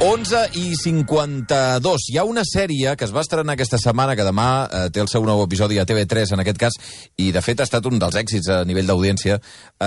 11:52. Hi ha una sèrie que es va estrenar aquesta setmana, que demà té el seu nou episodi a TV3, en aquest cas, i de fet ha estat un dels èxits a nivell d'audiència,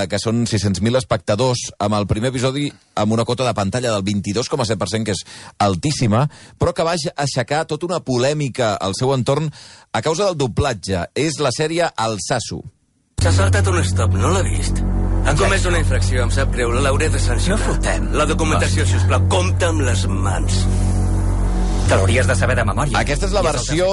que són 600.000 espectadors, amb el primer episodi amb una cota de pantalla del 22,7%, que és altíssima, però que va aixecar tota una polèmica al seu entorn a causa del doblatge. És la sèrie El Sasso. S'ha saltat un stop, no l'ha vist? Ha comès una infracció, em sap greu, l'hauré de sancionar. No fotem. La documentació, sisplau, compta amb les mans. Te l'hauries de saber de memòria. Aquesta és la versió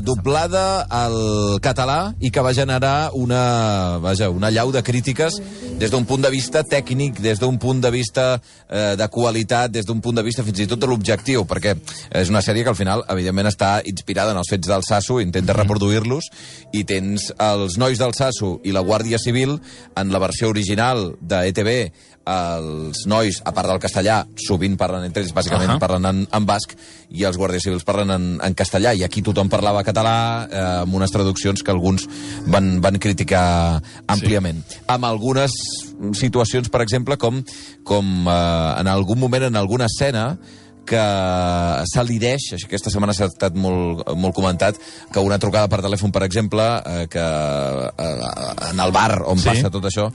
doblada al català i que va generar una allau de crítiques des d'un punt de vista tècnic, des d'un punt de vista de qualitat, des d'un punt de vista fins i tot de l'objectiu, perquè és una sèrie que al final, evidentment, està inspirada en els fets del Sasso, intenta reproduir-los, i tens els nois del Sasso i la Guàrdia Civil en la versió original de ETV. Els nois, a part del castellà, sovint parlen entre ells, bàsicament parlen en basc, i els guàrdies civils parlen en castellà, i aquí tothom parlava català, amb unes traduccions que alguns van criticar àmpliament. Amb algunes situacions, per exemple, com en algun moment, en alguna escena, que s'al·lideix, aquesta setmana s'ha estat molt comentat, que una trucada per telèfon, per exemple, que en el bar on passa tot això,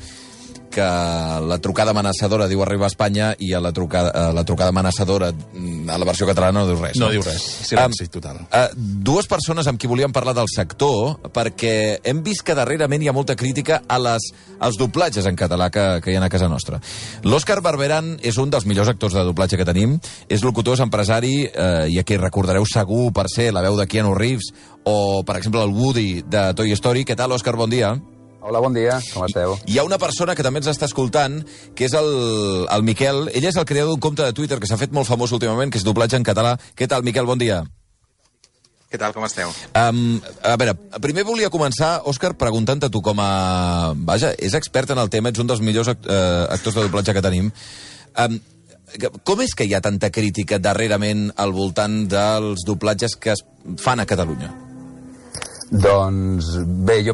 que la trucada amenaçadora diu arribar a Espanya, i a la trucada amenaçadora a la versió catalana no diu res. No diu res, silenci total. Dues persones amb qui volíem parlar del sector, perquè hem vist que darrerament hi ha molta crítica als doblatges en català que hi ha a casa nostra. L'Òscar Barberán és un dels millors actors de doblatge que tenim, és locutor, és empresari, i aquí recordareu segur per ser la veu de Keanu Reeves, o, per exemple, el Woody de Toy Story. Què tal, Òscar? Bon dia. Hola, bon dia, com esteu? Hi ha una persona que també ens està escoltant, que és el Miquel. Ell és el creador d'un compte de Twitter que s'ha fet molt famós últimament, que és doblatge en català. Què tal, Miquel? Bon dia. Què tal, com esteu? A veure, primer volia començar, Òscar, preguntant-te tu com a... Vaja, és expert en el tema, ets un dels millors actors de doblatge que tenim. Com és que hi ha tanta crítica darrerament al voltant dels doblatges que es fan a Catalunya? Doncs bé, jo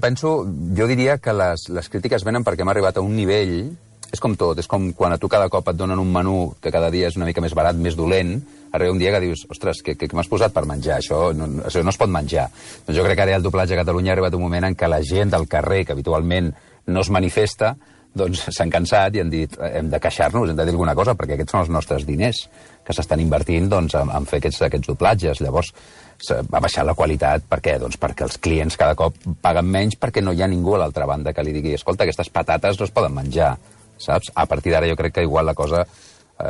diria que les crítiques venen perquè hem arribat a un nivell, és com tot, és com quan a tu cada cop et donen un menú que cada dia és una mica més barat, més dolent, arriba un dia que dius, ostres, què m'has posat per menjar? Això no es pot menjar. Doncs jo crec que ara el doblatge a Catalunya ha arribat un moment en què la gent del carrer, que habitualment no es manifesta, doncs s'han cansat i han dit, hem de queixar-nos, hem de dir alguna cosa, perquè aquests són els nostres diners que s'estan invertint en fer aquests doblatges. Llavors va baixar la qualitat. Per què? Doncs perquè els clients cada cop paguen menys, perquè no hi ha ningú a l'altra banda que li digui, escolta, aquestes patates no es poden menjar, saps? A partir d'ara jo crec que igual la cosa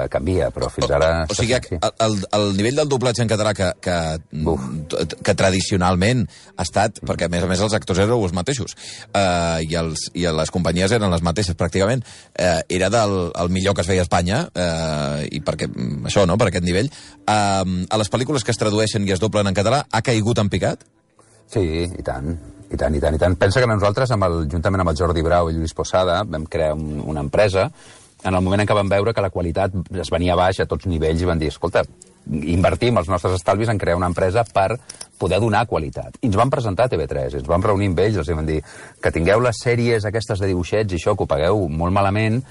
canvia, però fins ara... O sigui, el nivell del doblatge en català que tradicionalment ha estat, perquè a més els actors eren els mateixos, i les companyies eren les mateixes pràcticament, era el millor que es feia a Espanya, i perquè això, no?, per aquest nivell. A les pel·lícules que es tradueixen i es doblen en català, ha caigut en picat? Sí, i tant. I tant. Pensa que nosaltres, juntament amb el Jordi Brau i Lluís Posada, vam crear una empresa. En el moment en què vam veure que la qualitat es venia baix a tots nivells, i van dir, escolta, invertim els nostres estalvis en crear una empresa per poder donar qualitat. I ens van presentar a TV3, ens vam reunir amb ells, els vam dir que tingueu les sèries aquestes de dibuixets i això, que ho pagueu molt malament,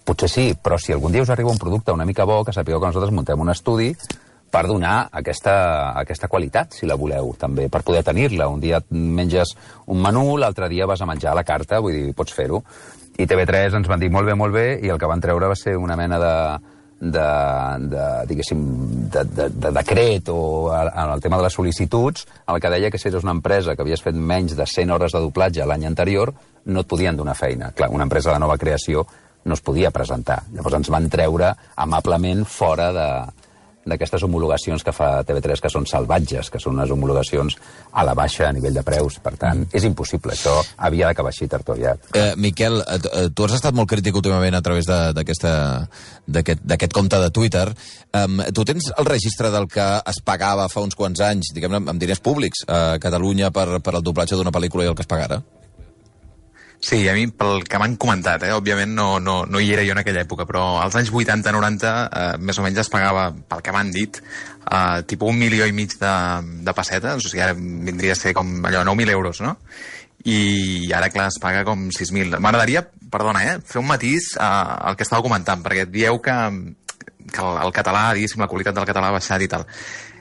potser sí, però si algun dia us arriba un producte una mica bo, que sapigueu que nosaltres muntem un estudi per donar aquesta qualitat, si la voleu, també, per poder tenir-la. Un dia et menges un menú, l'altre dia vas a menjar a la carta, vull dir, pots fer-ho. I TV3 ens van dir molt bé, i el que van treure va ser una mena de decret o en el tema de les sol·licituds, en el que deia que si eres una empresa que havies fet menys de 100 hores de doblatge l'any anterior, no et podien donar feina. Clar, una empresa de nova creació no es podia presentar. Llavors ens van treure amablement fora d'aquestes homologacions que fa TV3, que són salvatges, que són unes homologacions a la baixa a nivell de preus. Per tant, és impossible. Això havia d'acabar així, tard o llarg. Miquel, tu has estat molt crític últimament a través d'aquest compte de Twitter. Tu tens el registre del que es pagava fa uns quants anys, diguem-ne, amb diners públics a Catalunya per el doblatge d'una pel·lícula i el que es pagara? Sí, a mi, pel que m'han comentat, òbviament no hi era jo en aquella època, però als anys 80-90 més o menys es pagava, pel que m'han dit, tipus 1,5 milions de pessetes, o sigui, ara vindria a ser com allò, 9.000 euros, no? I ara, clar, es paga com 6.000. M'agradaria, perdona, fer un matís al que estàveu comentant, perquè dieu que el català, diguéssim, la qualitat del català ha baixat i tal.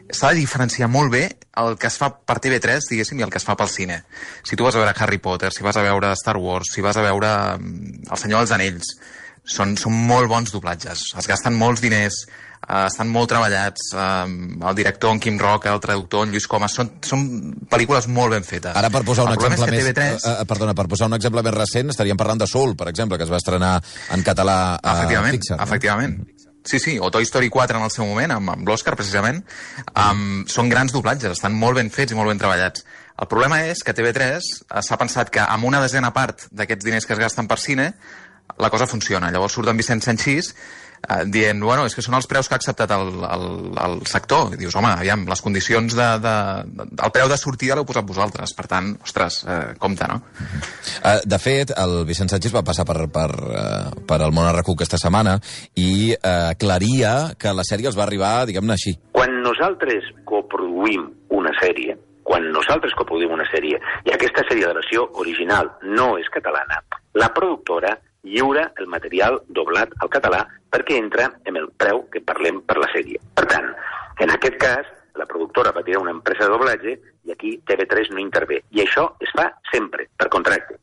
S'ha de diferenciar molt bé el que es fa per TV3, diguéssim, i el que es fa pel cine. Si tu vas a veure Harry Potter, si vas a veure Star Wars, si vas a veure El Senyor dels Anells, són molt bons doblatges. Es gasten molts diners, estan molt treballats. El director, en Quim Roca, el traductor, en Lluís Comas, són pel·lícules molt ben fetes. Ara, per posar un exemple més... TV3... per posar un exemple més recent, estaríem parlant de Soul, per exemple, que es va estrenar en català a Pixar. Efectivament. Sí, o Toy Story 4 en el seu moment, amb l'Oscar, precisament. Són grans doblatges, estan molt ben fets i molt ben treballats. El problema és que TV3 s'ha pensat que amb una desena part d'aquests diners que es gasten per cine, la cosa funciona. Llavors surt en Vicent Sanchís dient, bueno, és que són els preus que ha acceptat el sector. I dius, home, aviam, les condicions el preu de sortida l'heu posat vosaltres. Per tant, ostres, compte, no? De fet, el Vicent Sanchís va passar per el Món RQ aquesta setmana i aclaria que la sèrie els va arribar, diguem-ne així. Quan nosaltres coproduïm una sèrie, i aquesta sèrie de versió original no és catalana, la productora lliura el material doblat al català perquè entra en el preu que parlem per la sèrie. Per tant, en aquest cas, la productora va tirar una empresa de doblatge i aquí TV3 no intervé. I això es fa sempre, per contracte.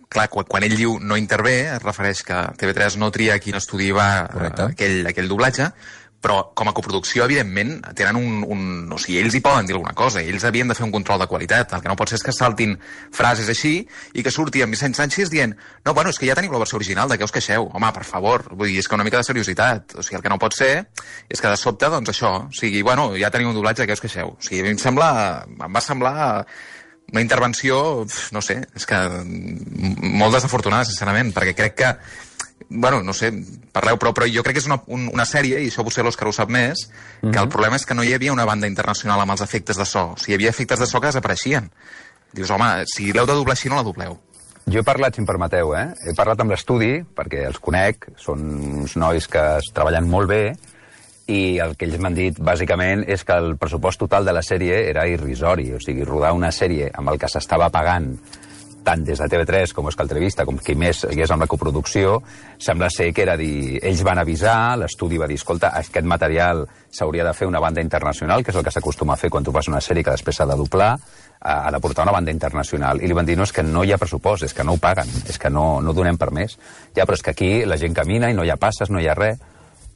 Clar, quan ell diu no intervé, es refereix que TV3 no tria quin estudi va aquell doblatge, però com a coproducció, evidentment, tenen o sigui, ells hi poden dir alguna cosa, ells havien de fer un control de qualitat. El que no pot ser és que saltin frases així i que surti en Vicent Sanchís dient no, bueno, és que ja teniu la versió original, de què us queixeu? Home, per favor, vull dir, és que una mica de seriositat. O sigui, el que no pot ser és que de sobte, doncs això, o sigui, bueno, ja teniu un doblatge, de què us queixeu? O sigui, a mi em va semblar una intervenció, no sé, és que molt desafortunada, sincerament, perquè crec que bueno, no sé, parleu, però jo crec que és una sèrie, i això potser l'Òscar ho sap més, que el problema és que no hi havia una banda internacional amb els efectes de so. O sigui, hi havia efectes de so que desapareixien. Dius, home, si l'heu de doblar així, no la dobleu. Jo he parlat, si em permeteu, he parlat amb l'estudi, perquè els conec, són uns nois que es treballen molt bé, i el que ells m'han dit, bàsicament, és que el pressupost total de la sèrie era irrisori. O sigui, rodar una sèrie amb el que s'estava pagant tant des de TV3 com Escaltrevista, com qui més hi és amb la coproducció, sembla ser que era dir... Ells van avisar, l'estudi va dir, escolta, aquest material s'hauria de fer una banda internacional, que és el que s'acostuma a fer quan tu fas una sèrie que després s'ha de doblar, ha de portar una banda internacional. I li van dir, no, és que no hi ha pressupost, és que no ho paguen, és que no donem per més. Ja, però és que aquí la gent camina i no hi ha passes, no hi ha res.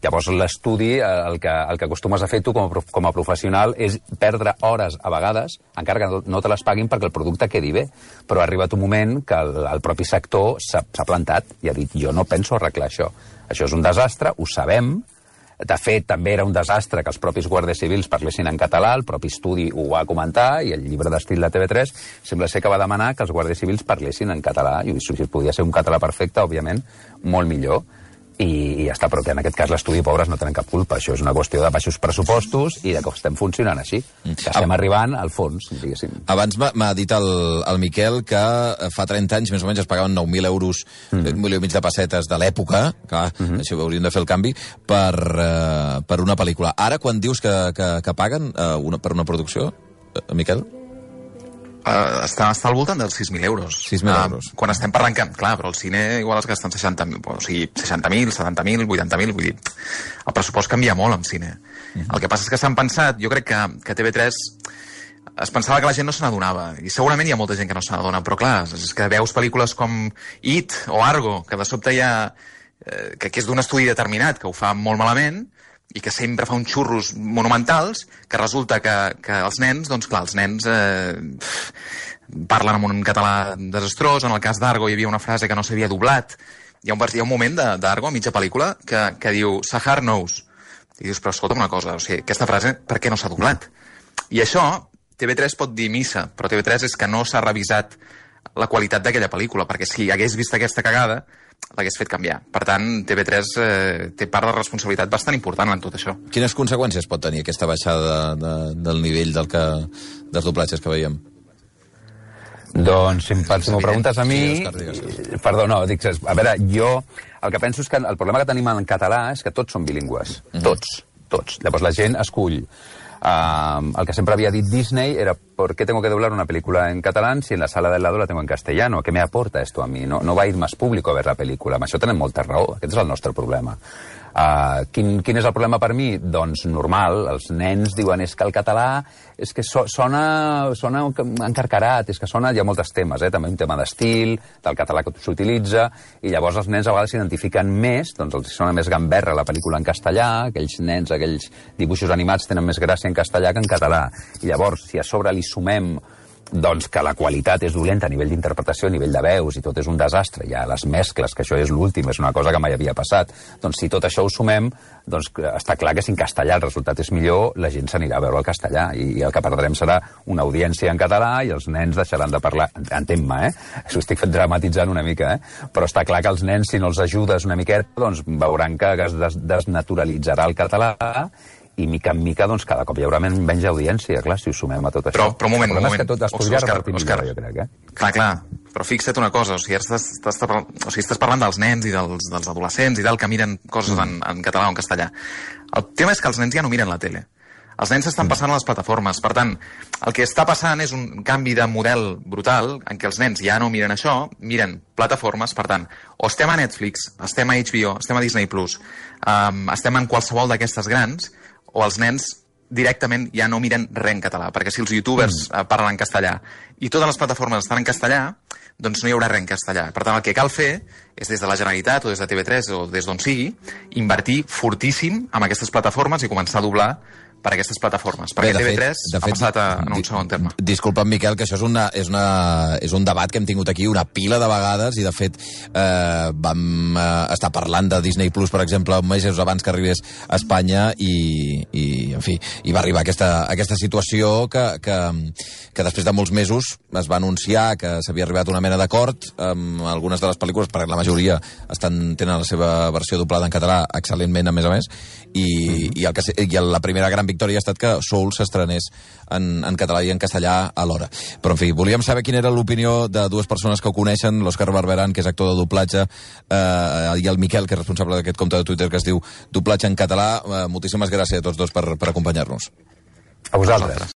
Llavors l'estudi, el que acostumes a fer tu com a professional és perdre hores a vegades, encara que no te les paguin perquè el producte quedi bé. Però ha arribat un moment que el propi sector s'ha plantat i ha dit jo no penso arreglar això. Això és un desastre, ho sabem. De fet, també era un desastre que els propis guàrdies civils parlessin en català, el propi estudi ho va comentar i el llibre d'estil de TV3 sembla ser que va demanar que els guàrdies civils parlessin en català. I si podia ser un català perfecte, òbviament, molt millor. I ja està, però que en aquest cas l'estudi, pobres, no tenen cap culpa. Això és una qüestió de baixos pressupostos i de que estem funcionant així, que estem arribant al fons, diguéssim. Abans m'ha dit el Miquel que fa 30 anys més o menys es pagaven 9.000 euros, 1,5 milió de pessetes de l'època, clar, això hauríem de fer el canvi, per una pel·lícula. Ara, quan dius que paguen per una producció, Miquel? Està al voltant dels 6.000 euros. 6.000 euros. Quan estem parlant, clar, però el cine igual es gasten 60.000, o sigui, 60.000, 70.000, 80.000, vull dir, el pressupost canvia molt en cine. El que passa és que s'han pensat, jo crec que TV3 es pensava que la gent no se n'adonava, i segurament hi ha molta gent que no se n'adona, però clar, és que veus pel·lícules com It o Argo, que de sobte hi ha... que és d'un estudi determinat, que ho fa molt malament, i que sempre fa uns xurros monumentals, que resulta que els nens, doncs clar, els nens parlen amb un català desastrós. En el cas d'Argo hi havia una frase que no s'havia doblat. Hi ha un moment d'Argo, a mitja pel·lícula, que diu Sahar knows. I dius, però escolta'm una cosa, o sigui, aquesta frase per què no s'ha doblat? I això, TV3 pot dir missa, però TV3 és que no s'ha revisat la qualitat d'aquella pel·lícula, perquè si hagués vist aquesta cagada, l'hagués fet canviar. Per tant, TV3 té part de responsabilitat bastant important en tot això. Quines conseqüències pot tenir aquesta baixada del nivell dels doblatges que veiem? Doncs, si m'ho preguntes a mi... Perdó, no, dic, a veure, jo el que penso és que el problema que tenim en català és que tots són bilingües. Tots. Llavors la gent escull El que sempre havia dit Disney era ¿por qué tengo que doblar una película en catalán si en la sala del lado la tengo en castellano? ¿Qué me aporta esto a mí? No va a ir más público a ver la pel·lícula. Amb això tenen molta raó. Aquest és el nostre problema. Quin és el problema per mi? Doncs normal, els nens diuen és que el català és que sona encarcarat, és que sona, hi ha molts temes, també un tema d'estil, del català que s'utilitza, i llavors els nens a vegades s'identifiquen més, doncs els sona més gamberra la pel·lícula en castellà, aquells nens, aquells dibuixos animats tenen més gràcia en castellà que en català. I llavors, si a sobre li sumem doncs que la qualitat és dolenta a nivell d'interpretació, a nivell de veus, i tot és un desastre, hi ha les mescles, que això és l'últim, és una cosa que mai havia passat, doncs si tot això ho sumem, doncs està clar que si en castellà el resultat és millor, la gent s'anirà a veure el castellà, i el que perdrem serà una audiència en català i els nens deixaran de parlar, entén-me, això ho estic dramatitzant una mica, però està clar que els nens, si no els ajudes una miqueta, doncs veuran que es desnaturalitzarà el català, i mica en mica, doncs, cada cop hi haurà menys audiència, clar, si ho sumem a tot això. Però un moment. El problema és que tot es podria repartir millor, jo crec, Clar, però fixa't una cosa, estàs parlant dels nens i dels adolescents i tal, que miren coses en català o en castellà. El tema és que els nens ja no miren la tele. Els nens s'estan passant a les plataformes. Per tant, el que està passant és un canvi de model brutal en què els nens ja no miren això, miren plataformes. Per tant, o estem a Netflix, estem a HBO, estem a Disney+, estem en qualsevol d'aquestes grans, o els nens directament ja no miren res en català, perquè si els youtubers parlen en castellà i totes les plataformes estan en castellà, doncs no hi haurà res en castellà. Per tant, el que cal fer és des de la Generalitat o des de TV3 o des d'on sigui, invertir fortíssim en aquestes plataformes i començar a doblar per aquestes plataformes, perquè TV3 ha passat en un segon terme. Disculpa'm, Miquel, que això és un debat que hem tingut aquí una pila de vegades i, de fet, vam estar parlant de Disney Plus, per exemple, mesos abans que arribés a Espanya i en fi, hi va arribar aquesta situació que després de molts mesos es va anunciar que s'havia arribat a una mena d'acord amb algunes de les pel·lícules, perquè la majoria tenen la seva versió doblada en català excel·lentment, a més, i la primera gran victòria ha estat que Soul s'estrenés en català i en castellà alhora. Però, en fi, volíem saber quina era l'opinió de dues persones que ho coneixen, l'Òscar Barberan, que és actor de doblatge, i el Miquel, que és responsable d'aquest compte de Twitter que es diu Doblatge en català. Moltíssimes gràcies a tots dos per acompanyar-nos. A vosaltres.